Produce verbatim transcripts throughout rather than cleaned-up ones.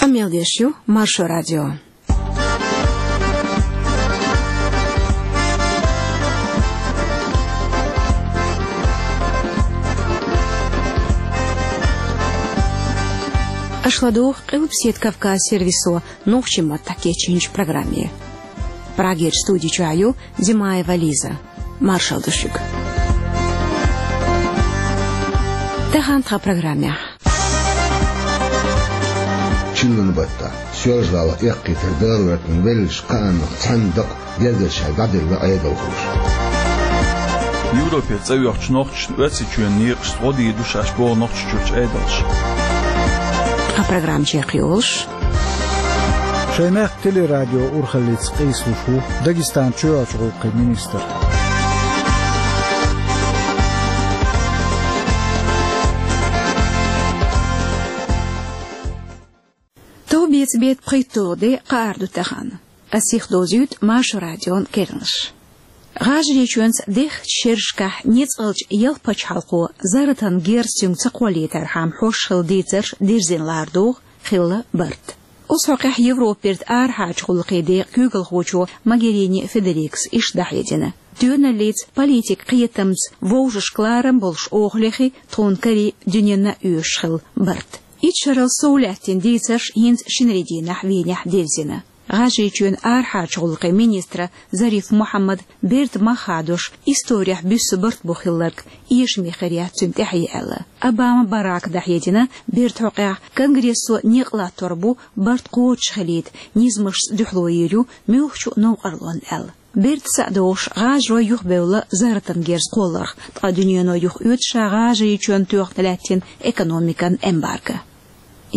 Къамел деш ю Маршо радио. Аша ладугӀу Къилбаседа Кавказ сервисо нохчийн маттахь кечйинчу программе. Прагерчу студи чохь ю Димаева Лиза. Маршалла ду шуьга. Тахана тхан программехь. Чиллан баттахь Соьлжа-ГӀалахь эккхийтар дагӀа гӀертина веллачу кхааннах цхьаьна дакъа гергарчаьрга дӀаделла Ӏедалхоша. Европера цӀа йоьхначу нохчашна Оьрсийчоьнан некъашца гӀо дийр ду шаьш боху Нохчийчуьрчу Ӏедалша. Тхан программа чекхйолуш. Шайн мехкан телерадион урхаллица къийсалуш ву Дагестанан чоьхьарчу гӀуллакхийн министр. Товбеца беттан пхийтталгӀа де кхаара ду тахана. Ас сихдовзуьйту Маршо радион керланаш. ГӀажарийчоьнца дехначу шерашкахь ницкъалчу ялх пачхьалкхо зарратан герз цуьнга ца кхоллийтархьама хьош хилла дийцарш дирзина лара догӀу, хилла барт. Оцу хьокъехь Европерчу арахьарчу гӀуллакхийн декъан куьйгалхочо Могерини Федерикас иштта дӀахьедина: тоьналлица, политикан кхетамца вовшашка ларам болуш охалехь, тхуна карий дуьненна а оьшуш хилла барт. Итт шарал сов лаьттина дийцарш хӀинца шинарин дийнахь Венехь дирзина. ГӀажарийчоьнан арахьарчу гӀуллакхийн министра Зариф Мухьаммада бертан мах хадош, исторехь буьссу барт бу хилларг эшаме хир яц цуьнан тӀаьхье аьлла. Обама Барака дӀахьедина бертан хьокъехь: Конгрессо некъ латтор бу барт кхочушхилийта, низамашца дуьхьало йийр ю муьлххачу новкъарлонна аьлла. Бертаца а догӀуш, гӀажарой юхабевлла зарратан герз кхолларх, ткъа дуьнено юхаоьцу ша ГӀажарийчоьнна тоьхна лаьттина экономикан эмбарго.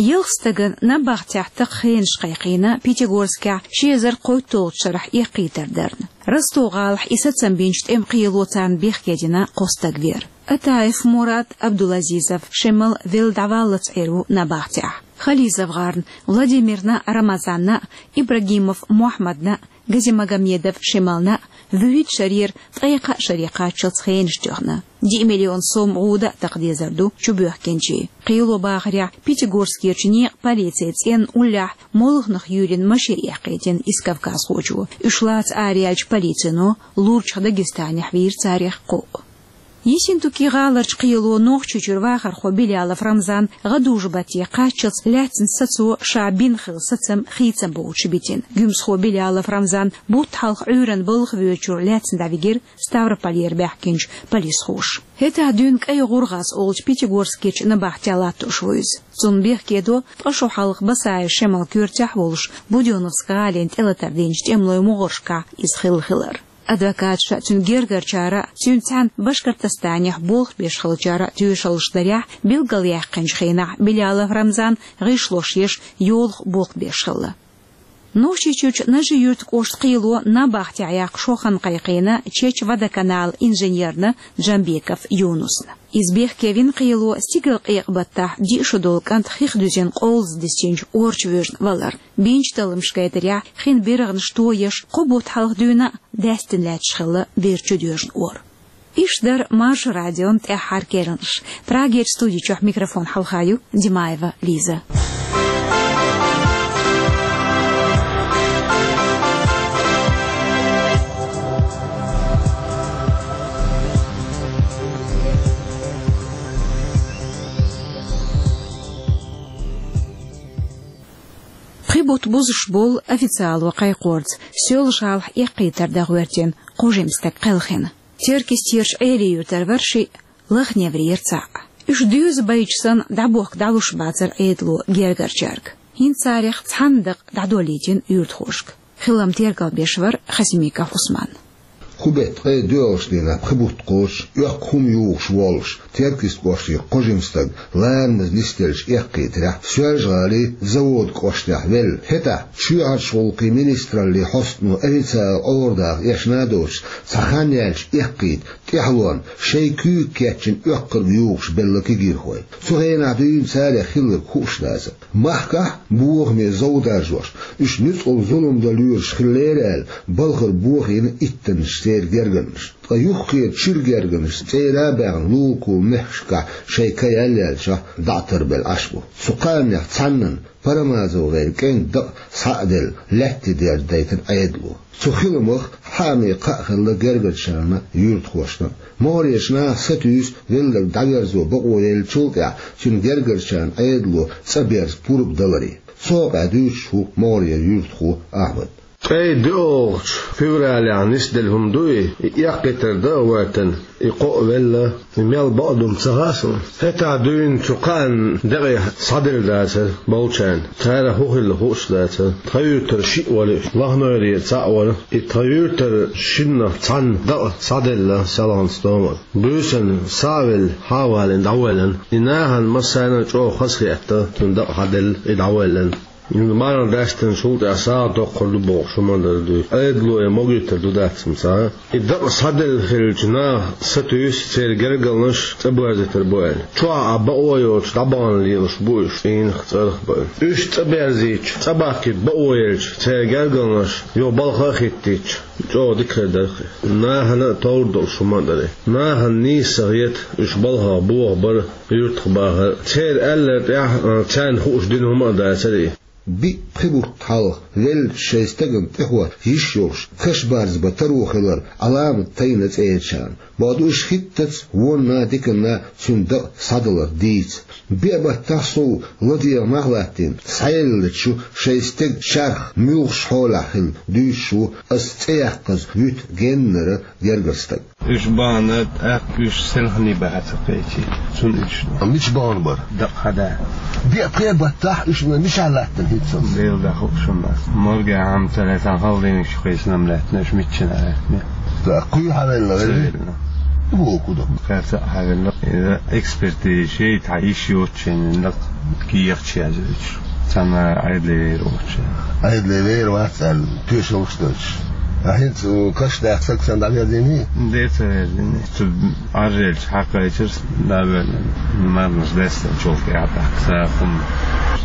Ялх стагана набахтехь такха хенаш кхайкхийна Пятигорскехь ши эзар кхойтталгӀачу шарахь эккхийтар дарна. Ростов-гӀалахь и сацам бинчу тӀеман кхело царна бехке дина кхо стаг вер. Атаев Мурад, Абдулазизов Шемал велла дӀаваллалц Ӏер ву набахтехь. ХализовгӀарна Владимирна а, Рамазанна а, Ибрагимов Мохьмадна а, Газимагомедов Шемална а вуьрхӀитта шарера ткъе кхаа шаре кхаччалц хенаш тоьхна. Диъ миллион сом гӀуда а такха дезар ду чубоьхкинчийн. Кхело бахарехь, Пятигорскерчу некъан полицин цӀенна уллехь молханах юьйрина машен эккхийтина исс кавказхочо. Уьш лаца араяьллачу полицино лурчах Дагестанехь вийра царех кхоъ. Ессентуки-гӀаларчу кхело Нохчийчуьра вахархо Билялов Рамзан гӀадужу-батте кхаччалц лаьцначу сацо ша бина хилла сацам хийцам боцуш битина. Гуьмсхо Билялов Рамзан бутт хьалха Ӏуьйранна балха воьдучуьра лаьцна дӀавигира Ставрополера баьхкинчу полисхоша. ХӀетахь дуьйна КӀай ГӀургӀаз олучу Пятигорскерчу набахтехь латтош ву иза. Цунна бехке до ткъа шо хьалха Басаев Шемалан коьртехь а волуш, Будённовск гӀалина тӀелатар динчу тӀемалойн могӀаршкахь иза хилла хилар. Адвокаташа а, цуьнан гергарчара а, цуьнца цхьаьна Башкортостанехь болх беш хиллачара а тоьшаллаш дарехь, билгалъяьккхинчу хенахь Билялов Рамзан гӀишлош еш, йолах болх беш хилла. Нохчийчуьрчу Нажи-Юьртан кӀоштан кхело набахтехь яккха шо хан кхайкхийна Чечводоканалан инженерна Джамбеков Юнусна. Иза бехке вина кхело стигалкъекъа баттахь диъ шо долу кӀант хих дуьзина къовлаза дисинчу ора чу воьжна валар. Бинчу талламаша гайтарехь, хин биргӀанаш тоеш, кхо бутт хьалха дуьйна а даьстина лаьтташ хилла бер чудоьжна ора. Иштта дара Маршо радион тӀаьххьара керланаш. Прагерчу студи чохь микрофон хьалха ю Димаева Лиза. Пхи бутт бузуш болу официало кхайкхорца Соьлжа-ГӀалахь эккхийтар дан гӀоьртина кхо жима стаг кхелхина. Теркйистерчу Ӏелин-Юьртара вара шиъ, Лаха-Неврера цхьаъ. Уьш доьза байча санна дӀабохка дӀалуш бацара Ӏедало гергарчаьрга. ХӀинца царех цхьанна дакъа дӀадолийтина юьртахошка. Хилам тергалбеш вара Хасимиков Усман. Кху беттан ткъе доьалгӀачу дийнахь пхи бутт кхочуш, оьккху хӀума юхуш воллуш, Теркйист кӀоштан кхо жима стаг ларамаза нисделлачу эккхийтарехь Соьлжа-ГӀалин Завод кӀоштахь велла. ХӀетахь чоьхьарчу гӀуллакхийн министраллин хьостано официалан Ӏорадаха эшна а доцуш, цхьа хан яьлча эккхийта тӀехьалонна шайн куьйга кечйина оьккхарг юхуш белла кегийрхой. Цу хенахь дуьйна царех хилларг хууш дацара. Махкахь бохаме зов даржош, уьш нуьцкъала зулам дан лоьруш хиллера аьлла, балхара бохийна иттаннаш церан гергарнаш. Ткъа юххера чуьра гергарнаш цӀера а баьхна, лулахула мехкашкахь шайн ка яллаьллачохь дӀа а тарбелла Ӏаш бу. Цу кхааннех цхьаннан, Парамазов-гӀеран кӀентан дакъа схьа а делла, лаьтта дерза дайтина Ӏедало. Цу хиламах хьаамийн кхаъ хилла гергарчарна, юьртахошна. МогӀарерчу наха сатуьйсу велларг дӀаверзо бакъо еллачул тӀаьхьа цуьнан гергарчарна Ӏедало цӀа берза пурба даларе. Цу хьокъехь дуьйцуш ву могӀарера юьртахо Ахьмад. Ткъе доьалгӀачу февралехь нисделла хӀума ду и, и эккхийтар дан а гӀоьртина, и кхоъ велла, и мел бакъду-м ца хаьа суна. ХӀетахь дуьйна цу кхаанна декъе схьаделла дацара болчарна. Царах хӀун хилла хууш дацара. Тхан юьртара шиъ вара уьш, Лахнойрера цхьаъ вара. И тхан юьртара шиннах цхьанна дакъа схьаделла селхана стомара. Буьйсанна схьа а велла, хьа а валийна дӀавоьллина. И нахана массарна а чӀогӀа хазахетта, цуьнан дакъа схьаделла, и дӀавоьллина. Марха даьстинчул тӀаьхьа сагӀа доккхур ду бохуш хӀума а дара дуьйцу. Ӏедало и могуьйтур ду дац-м цхьа а. И дакъа схьаделла хиллачу наха сатуьйсу церан гергарнаш цӀа боьрзуьйтур бу аьлла. Чохь а бакъо йоцуш дӀабахана лелаш бу уьш, цӀийнах, цӀарах баьлла. Уьш цӀа берзийча, цӀа бахкийта бакъо елча, церан гергарнаш юха балха а хӀиттийча, чӀогӀа дика хир дара-кх. Нахана а товр долуш хӀума а дара и. Нахана нийса ца хета уьш балхах бохабар, юьртах бахар. Церан аьлларг тӀехь, а, царна хууш дина хӀума а дацара и. Биъ-пхи бутт хьалха велла шайн стагана тӀехӀотта йиш йолуш, каш барз бан таро хилар Ӏаламат тайна цӀерачарна. Бакъду, уьш хӀиттаца вонна а, диканна а цуьнан дакъа схьадалар дийца. Биъ баттахь сов ладегӀа нах латтийна, схьаеллачу шайн стеган чарх муьлхачу хьолехь хилла дуьйцуш ву аса цӀе яккхаза вуьту геннара гергара стаг. Уьш бахана, тӀаккха уьш селхане баха ца кхечи, цунна уьш. А мича бахана бара? Дакъа хьада. Биъ-пхи баттахь уьш мичахь латтина хӀинца? Дела дан хууш хӀума дац. Моргехь хьама ца лаьцна, холодильникчу кхийсина-м лаьттина, уьш миччанахь лаьттина. ТӀаккха кхуьйга хьавелла, вай? Вуо кху ду. Кхаьрца а хьавелла. Иза экспертиза йича, тхьа йиш йоцучу дакъа кехаташ язйойтуш. Цхьана Ӏедале вер воцуш. Ӏедале вер вац аьлла, тоьшаллаш а дойтуш. Ткъа хӀинца каш даккха стаг санна дӀаверзийний? Дера ца верзийний. Цу Ӏаржъелча хьакхайчира, дӀавоьллина. Марханаш даьстинчул тӀаьхьа тӀаккха сагӀа хӀума.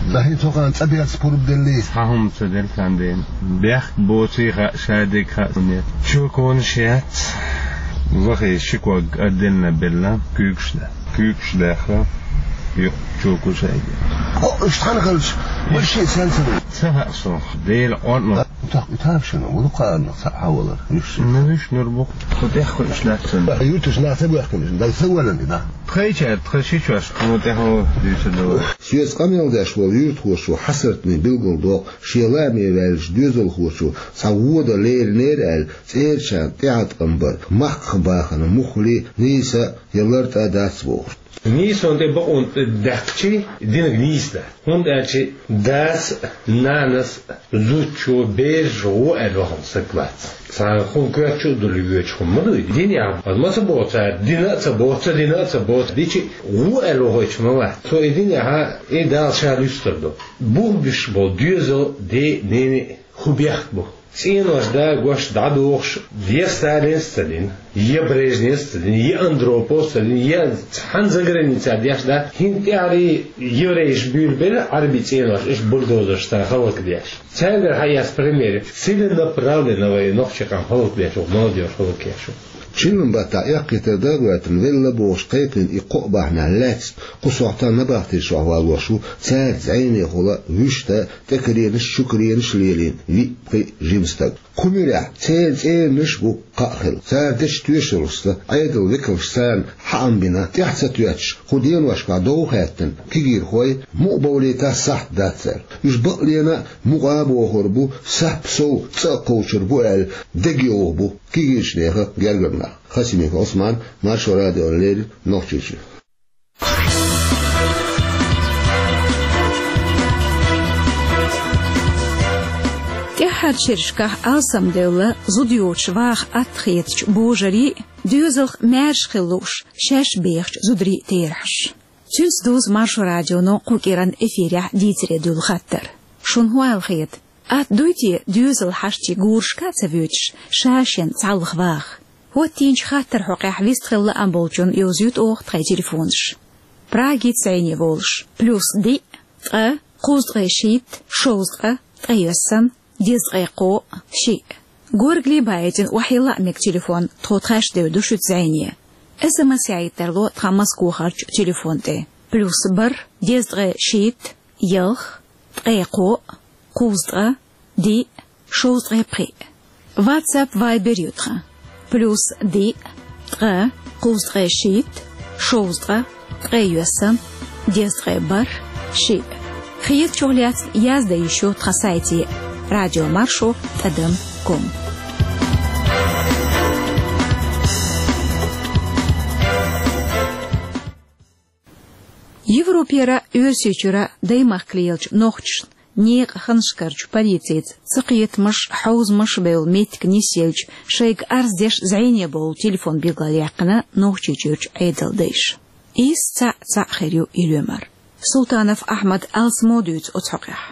Ткъа хӀинца хӀокхарна цӀа берза пурба деллий? Цхьа хӀума ца делла царна дена. Бехк боций хаьа, шадерг хаьа, нет. Чоконаш яц. Вахий ши ког отдельно белла, куьйгаш дан. Куьйгаш даьхна, юкъа чокуш айга. О, уьш цхьаьна хилча, вай шиъ сенца ду? Ца хаьа суна. Дела къонтӀа. ТӀаккха и тамашийна, ву кхарна, цхьаъ хьавалар, уьш шиъ. Ну, уьш нур бу-кх. Кху тӀехь хуьлуш дац цунна. Юьрташ нах ца боьхкина, даг ца валан и, да? Тхайчаьрга, тхан шичошка, хӀума тӀехь дуьйцур ду. Соьца къамел деш волу юьртахочо хьасартане билгалдоккху, шен лааме ваьллачу доьзалхочо цхьа вон дан леринера аьлла, цӀерачарна тӀеӀаткъам бар махках бахана муххале а, нийса а я лартӀа а дац бохуш. Нийсонан тӀе бакъонан тӀе даьккхичий, динарг нийса дац. ХӀунда аьлча дас а, нанас а, зудчо, бераша гӀо аьлла вахана стаг вац. Цхьана хӀун коьртачу а дуьллуш воьдуш хӀума ма ду и. Динехь ма ца боху цара, дина а ца боху, ца дина а ца боху, дичи а гӀо аьлла вахийтуш ма вац. Цо и динехь, и Дала ша луьстур ду. Бух буьсуш болу доьзал, ден а, ненан а хӀун бехк бу? ЦӀенош да-гош дӀадохуш, я Сталинс а ца дина, я Брежневс а ца дина, я Андроповс а ца дина, я цхьана заграницехь деш да, хӀинца тӀаьхьарий еврейш буьйлабелла Ӏарби цӀенош, уьш бульдозерш цара хӀаллакдеш. Цаьргара хьаэцна пример, целенаправленно вай нохчий къам хӀаллакдеш ву, молодёжь хӀаллакъеш ву. Чиллан баттахь эккхийтар дан а гӀоьртина, велла бохуш кхайкхийна и кхоъ бахьанехь лаьцна кху сохьтехь набахтин чохь валош ву цаьрца зӀенехула вуьшта тӀекаренаш, чукаренаш а лелийна виъ-пхиъ жима стаг. Кху муьрехь церан цӀеранаш а бу кхаъ хилла. Цара дечу тоьшаллашца Ӏедалан векалша царна хьаам бина, тӀаьхьа ца тоьттуш, кху деношкахь дов хаьттина кегийрхой, мукъа бовлийта сахьт дац аьлла. Уьш бакълена а мукъа а бохур бу, сап сов цӀа а кхочур бу аьлла, дегайовха бу кегийчу нехан гергара нах. Хасимиков Ӏусман, Маршо радиона леррина, Нохчийчоь. ТӀаьххьарчу шерашкахь алсамдевлла зуда йоцуш ваха атта хетачу божарийн а, доьзалх маьрша хила лууш шаьш бехачу зударийн а терахьаш. Цуьнца дузу Маршо радионо кху кӀиранан эфирехь дийцаре дуьллу хаттар. Шуна хӀун аьлла хета? Атта дуй те доьзал хьаштий гурашка а ца воьдуш, ша-шен цхьалха ваха? ХӀоттийнача хаттаран хьокъехь вистхила лаам болчунна йовзуьйту оха тхайн телефонаш. Прагица зӀене волуш: плюс диъ, ткъа, кхузткъе шийтта, шовзткъа, ткъе йоьссан, дезткъе кхоъ, шиъ. Горгали баийтина охьайилла а мега телефон, тхо тхаьш девр ду шуьца зӀене. СМС яийта тарло тхан Москвахарчу телефон тӀе: плюс бархӀ, дезткъе шийтта, ялх, ткъе кхоъ, кхузткъа, диъ, шовзткъе пхиъ. WhatsApp, Viber ю тхан: плюс диъ, ткъа, кхузткъе шийтта, шовзткъа, ткъе йоьссан, дезткъе бархӀ, шиъ. Хетачух лаьцна яздан йиш ю тхан сайте: радиомаршо тӀадам ком. Европера, Оьрсийчуьра даймахкаллехь йолчу нохчашна некъан ханашкарчу полицица цакхетамаш, хьовзамаш бевлла меттиг нисъелча, шайга арз деш зӀене бовла телефон билгалъяьккхина Нохчийчуьрчу Ӏедалдайша. Иза цхьаъ-цхьаъ хир ю и лоьмар. Султанов Ахьмада алсамо дуьйцу оцу хьокъехь.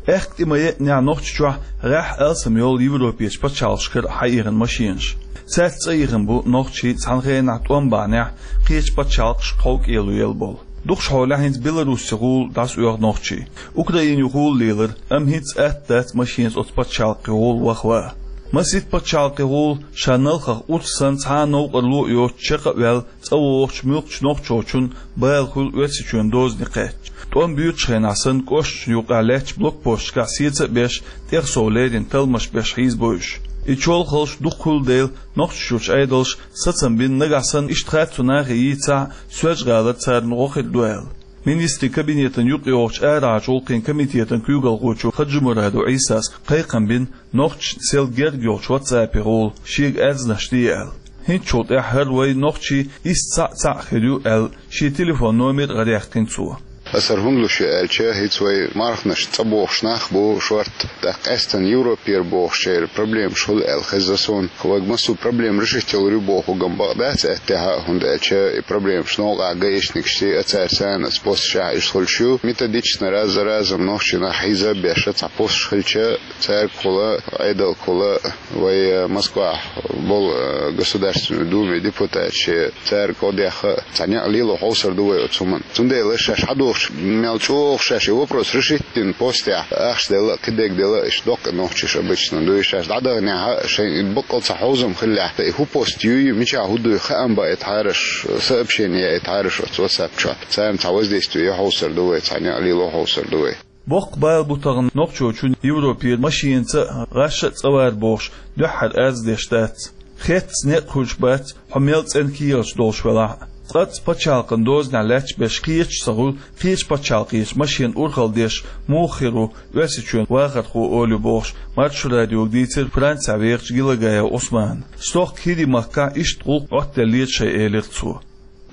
Аьхка тӀе ма еънехь Нохчийчохь гӀеххьа алсам йолу Европерчу пачхьалкхашкара хьаихна машенаш. Цаьрца цӀа ихна бу нохчий цхьана хенахь тӀом бахьанехь кхечу пачхьалкхашка кховкӀело елла болу. Дукхахьолехь хӀинца Беларусигахула дӀасаоьху нохчий. Украинехула лелара, амма хӀинца атта дац машенца оцу пачхьалкхехула ваха ван. Масийтта пачхьалкхехула ша налхах урс санна цхьа а новкъарло а йоцуш чекх а ваьлла, цӀа вогӀучу муьлххачу нохчочун бала хуьлу Оьрсийчоьнан дозане кхаьчча. ТӀом буьйцучу хенахь санна, кӀошташна юкъахь лаьттачу блокпосташкахь сеца а беш, тӀех сов леррина талламаш беш хьийзабо уьш. И чолхалш дукха хуьлу дела, Нохчийчуьрчу Ӏедалша сацам бина, нагахь санна иштта хатта цу нахе йийцахь, Соьлжа-ГӀалара царна гӀо хир ду аьлла. Министрийн кабинетан юкъайогӀучу арахьарчу гӀуллакхийн комитетан куьйгалхочо Хаджимурадов Ӏийсас кхайкхам бина, нохчашна сел герга йолчу WhatsApp-ехула шега аьрзнаш де аьлла. ХӀинцачул тӀаьхьа хӀара вай нохчий исс цхьаъ цхьаъ хир ю аьлла, шен телефон номер а гӀараяьккхина цо. Аса хӀара хӀунда луш ю аьлча, хӀинца вай марханаш цӀа бохуш нах бу шорта, тӀаккха къаьсттина Европера бохучеран проблемаш хуьлу аьлла хезна суна. Вайга массо а проблема решить йалур ю бохург-м бакъ дац аьттехьа, хӀунда аьлча и проблемаш новкъахь гаишникашций а, цаьрца цхьаьна оцу посташкахь иштта хуьлуш ю. Методично раз за разом нохчий нах хьийза а беш, цхьа посташ хилча, цаьргахула, Ӏедалгахула, вай, э, Москвахь болу, э, Государственной Думин депутаташ, цаьрга гӀо дехха а, цхьа некъ лело хьовсур ду вай оцу хӀуманна. Цундела шаьш хьадогӀучу мел чӀогӀа шаьш и вопрос решить дина постехь, ахча делла а, кхидерг делла а, иштта доккха нохчаш обычно дуй, шаьш дӀадаханехь а, шайн и баккъал цхьа хьовзам хиллехь, и хӀун пост юй, мичахь хӀун дуй хаам баийтахьара аш, сообщение яийтахьара аш оцу WhatsApp чохь, царна цхьа воздействие ян хьовсур ду вай, цхьа некъ лело хьовсур ду вай. Боккха бала бу тахана нохчочун Европера машенаца а, гӀаш а цӀа вар бохуш, дуьххьара арз деш дац. Хеттаца некъ хуьлуш бац, хьо мел цӀена кехаташ долуш велахь а. Цкъацкъа пачхьалкхан дозанехь лаьтташ берш кхеташ а ца хуьлу, кхечу пачхьалкхечу машенан урхалла деш муха хир ву Оьрсийчоьнан вахархо олий бохуш, Маршо радиога дийцира Францехь вехачу Гелагаев Ӏусмана. Стохка ХӀирийн махкахь иштта гӀуллакх Ӏоттаделлера шайн, элира цо.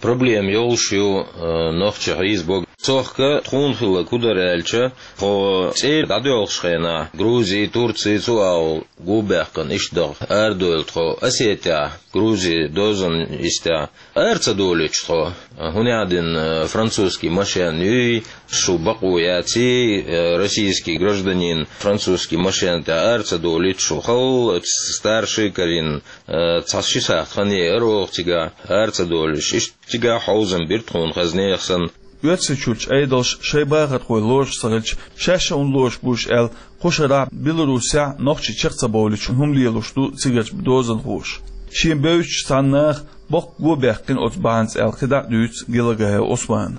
Проблема йолуш ю, э, нохчий хьийзабо. Цохка тхуна хилларг хӀун дара аьлча, тхо цӀера дӀадоьлхуш хенахь, Грузи, Турци, цу агӀор гу баьккхина иштта даха арадойла тхо Осетехь, Грузи дозанна йистехь. Ара ца долуьйтуш тхо, хӀунда аьлча, э, французский машен юй, шу бакъо яций, э, российский гражданин французский машен тӀехь ара ца долуьйтуш шу, халла старший карийна, э, цхьа ши сахьт хан еара оха цигахь, ара ца долуьйтуш. Иштта цигахь хьовзам бира тхуна хазна нехан санна. Оьрсийчуьрчу Ӏедалша шайн бахархой лоруш ца хилча, шаьш а хӀунда лоруш бу уьш аьлла, кху шарахь Беларусехь нохчий чекх ца бовлуьйтуш хӀума лелош ду цигарчу дозанхоша. Шена бевзачу цхьана наха боккха го баьккхина оцу бахьанца аьлла кхидӀа а дуьйцу Гелагаев Ӏусмана.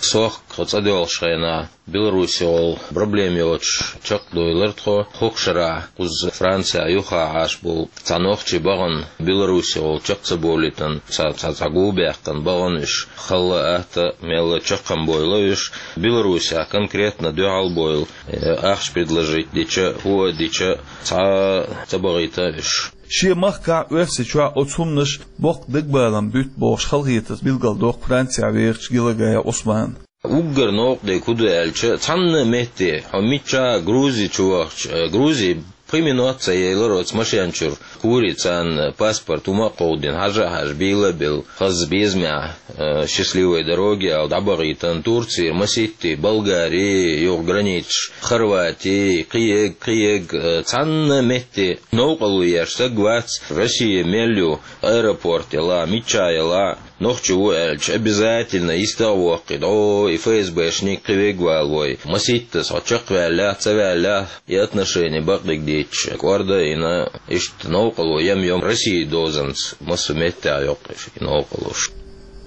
Сохка тхо цӀа доьлхуш хенахь, Беларусехула проблема йоцуш чекхдойлура тхо. ХӀокху шарахь кхуза Францехь юххехь Ӏаш болу цхьа нохчи бахана, Беларусехула чекх ца бовлийтина, цхьа, цхьа, цхьа го баьккхина бахана уьш. Халла, атта, мелла чекхам бойла уьш. Беларусехь конкретно дуьхьал бойла, э, ахча предложить дича, хӀу а дича, цхьа а ца бахийта уьш. Шен махкахь, Оьрсийчохь оцу хӀуманаш боккха дагабалам буьту бохуш, халахетарца билгалдоккху Францехь вехачу Гелагаев Ӏусмана. Уггар новкъа дерг хӀун ду аьлча, цхьанна а метте, хьо миччахь а Грузи чу вахча, э, Грузи Пхи минот ца яьлар оцу машен чуьра. Кури царна паспорт хӀума а кховдийна, хьажа а хьажа, бийла а белла, хаза безамехь, э, счастливой дороги аьлла, дӀабахийтина Турцера, масийтта Болгари, юха границаш Хорвати, кхиег, кхиег, э, цхьанна метте новкъарло еш стаг вац, Россия мел ю, аэропорт яла, мичча яла, нохчи ву аьлча, обязательно йистагӀа воккхий, дӀо и ФСБшник кхин вегвала вой. Масийтта со чекхваьлла, ца ваьлла, и отношение бакъдерг дийцча, кӀорда а йина, иштта новкъарло ям-йом Россия дозанца, массо а меттехь йоккхуш и новкъарлош.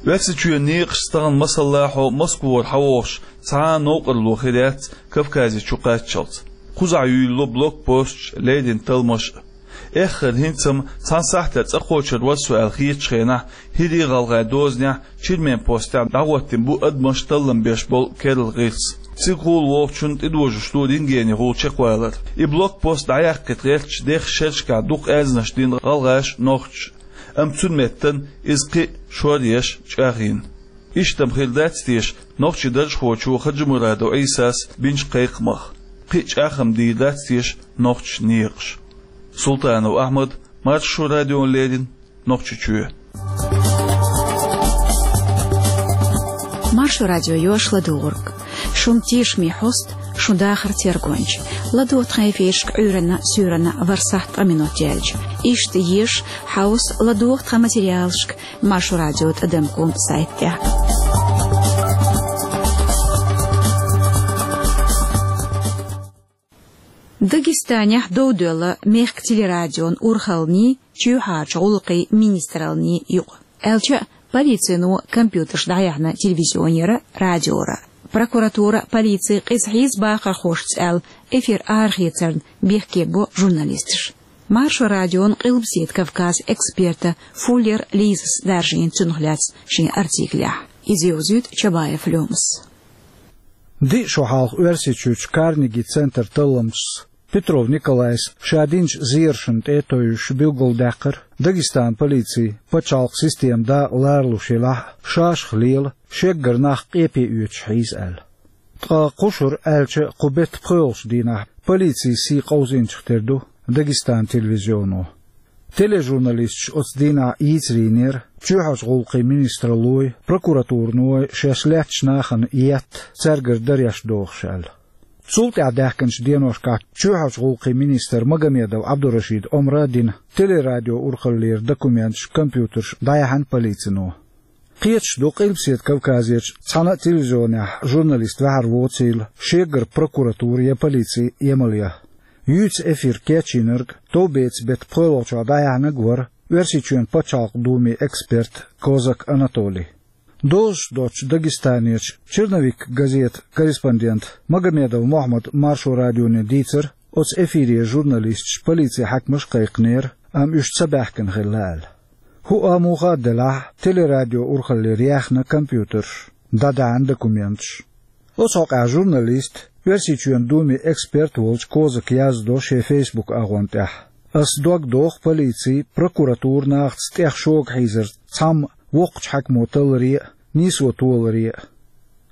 Оьрсийчоьнан некъаш стагана масаллахьо Москвара хьавогӀуш цхьа а новкъарло хир яц Кавказе чу кхаччалц. Кхузахь юьйлало блокпосташ, леррина талламаш а. Эххар хӀинца-м цхьана сахьтехь цӀа кхочур вара со аьлла хетачу хенахь, хӀирийн гӀалгӀайн дозанехь Чермен постехь дӀахӀоттийна бу адамаш таллам беш болу керла гӀирс. Цига гӀур волчунна тӀедожош ду рентгенехула чекхвалар. И блокпост дӀаяккхийта гӀертачу дехачу шерашкахь дукха аьзнаш дина гӀалгӀаша, нохчаша. Амма цуьнан меттана иза кхин а шоръеш, чӀагӀйина. Иштта-м хир дац теша, нохчийн даржхочо Хаджимурадов Ӏийсас бинчу кхайкхамах. Кхин а чӀагӀ-м дийр дац теша нохчийн некъаш. Султанов Ахьмад, Маршо радиона леррина, Нохчийчоь. Маршо радио йош ладугӀург. Шун тешаме хьоста, шун дахар тергонча. ЛадогӀа тхан эфирашка Ӏуьйранна, суьйранна ворхӀ сахьт ткъа минот яьлча. Иштта еза хьовса, ладогӀа тхан материалашка Маршо радио тӀадам ком сайт тӀехь. Дагестанехь дов доьлла мехкан телерадион урхаллиний, чоьхьарчу гӀуллакхийн министраллиний юкъа. Аьлча а, полицино компьютерш дӀаяьхьна телевизионера, радиора. Прокуратура, полици къиза хьийза бахархошца аьлла, эфир арахецарна бехке бо журналисташ. Маршо радион Къилбаседа Кавказан эксперта Фуллер Лизас даржийна цунах лаьцна шен артиклехь. Иза йовзуьйту Чабаев Лёмас. Диъ шо хьалха Оьрсийчуьрчу Карнеги центран талламчас Петров Николайс ша динчу зерашна тӀе а тевжаш билгалдаьккхира Дагестанан полици пачхьалкхан система дакъа ларалуш елахь а, шашах лела, шеггара нах къепе оьцуш хьийза аьлла. Ткъа кху шарахь, аьлча а, кху беттан пхоьалгӀачу дийнахь полицин сий къовзийначух тера ду Дагестанан телевизионо. Тележурналисташ оцу дийнахь йийцар йинера чоьхьарчу гӀуллакхийн министраллой, прокуратуриной шаьш лаьттачу нахана етта, цаьргара дареш дохуш аьлла. Цул тӀаьхьа даьхкинчу деношкахь чоьхьарчу гӀуллакхийн министра Магомедов Ӏабдурашида омра а дина, телерадион урхаллера документаш, компьютерш дӀаяьхьна полицино. Кхеташ ду, Къилбаседа Кавказерчу цхьана а телевизионехь журналист ваьхьар воцийла, шегара прокуратура я полици емал ян. Юьйцу эфир кечйинарг товбецан беттан пхоьалгӀачохь дӀаяьхьнарг вара Оьрсийчоьнан Пачхьалкхан Думин эксперт Козак Анатолий. Дозуш доцчу Дагестанерчу «Черновик» газетан корреспондента Магомедов Мохьмада Маршо радионе дийцира, оцу эфире журналисташ полицин хьаькамаша кхайкхинера, амма уьш ца баьхкина хилла аьлла. ХӀуъа а, муха а делахь, телерадион урхаллера яьхна компьютерш, дӀадаьхьна документаш. Оцу хьокъехь журналист, Оьрсийчоьнан Думин эксперт волчу Козака яздо шен Facebook агӀон тӀехь: «Ас дог доху полици, прокуратура нахаца тӀех шога хьийзарца цхьамма воккхачу хьаькамо талларе а, нийсо толаре а.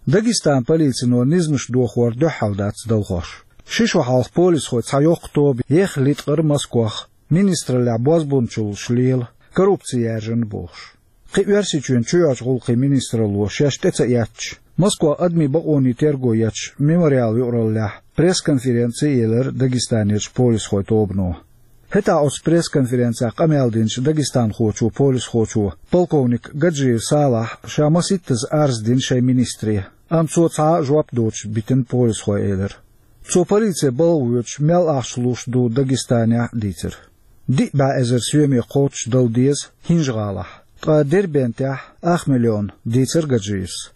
Дагестанан полицино низамаш дохор дуьххьал дац далхош. Ши шо хьалха полисхойн цхьа йоккха тоба ехха литкъира Москвах, министраллехь бозбунчаллаш лела, коррупци яьржина бохуш». Кхин Оьрсийчоьнан чоьхьарчу гӀуллакхийн министралло шаьш тӀе ца эцча, Москвахь адамийн бакъонийн терго ечу «Мемориал» юкъараллехь пресс-конференци а елира Дагестанерчу полисхойн тобано. ХӀетахь оцу пресс-конференцехь къамел динчу дагестанхочо, полисхочо, полковник Гаджиев Салахь ша масийттаза арз дина шайн министре, амма цо цхьа а жоп доцуш битина полисхой, элира. Цо полице балха воьдуш мел ахча луш ду Дагестанехь а дийцира. Диъ бӀе эзар соьме кхоччуш дала деза ХӀинжа-ГӀалахь, ткъа Дербентехь ах миллион, дийцира Гаджиевс.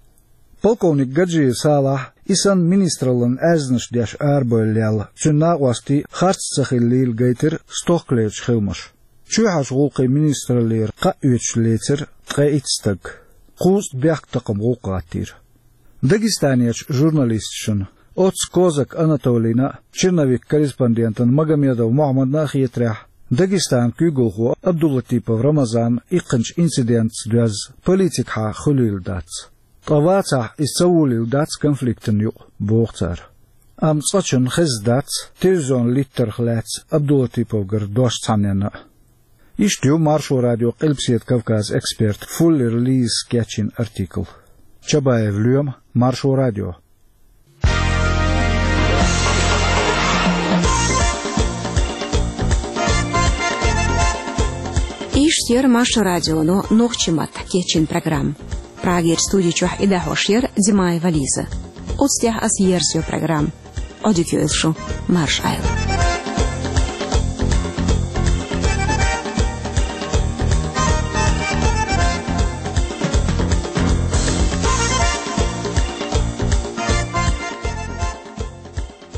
Полковник Гаджиев Салахь, и санна министраллина аьзнаш деш арабевлла лелла, цуьнан накъостий харц ца хиллийла, гайтира стохкалерчу хиламаша. Чоьхьарчу гӀуллакхийн министраллера кхаъ оьцуш лецира ткъе итт стаг. Кхузткъа бехктакхаман гӀуллакх гӀаттийра. Дагестанерчу журналисташна, оццу Козак Анатолийна а, «Черновик» корреспондентана Магомедов Мохьмадна а хетарехь, Дагестанан куьйгалхо Абдулатипов Рамазан иккхинчу инцидентца доьзна политикахьа хуьлийла дац. Ткъа вацахь, иза ца волийла дац конфликтана юкъа, боху цара. Амма цкъачунна хезна дац телевизионан литтарх лаьцна Абдулатиповгара дош цхьаннена а. Иштта ю Маршо радион Къилбаседа Кавказан эксперт Фуллер Лизас кечйина артикл. Чабаев Лоьма, Маршо радио. Иштта яра Маршо радионо нохчийн маттахь кечйина программа. Прагера студи чохь и дӀахьош яра Димаева Лиза. Оцу тӀехь ас ерзайо программа. Ӏодика йойла шу, марша Ӏойла.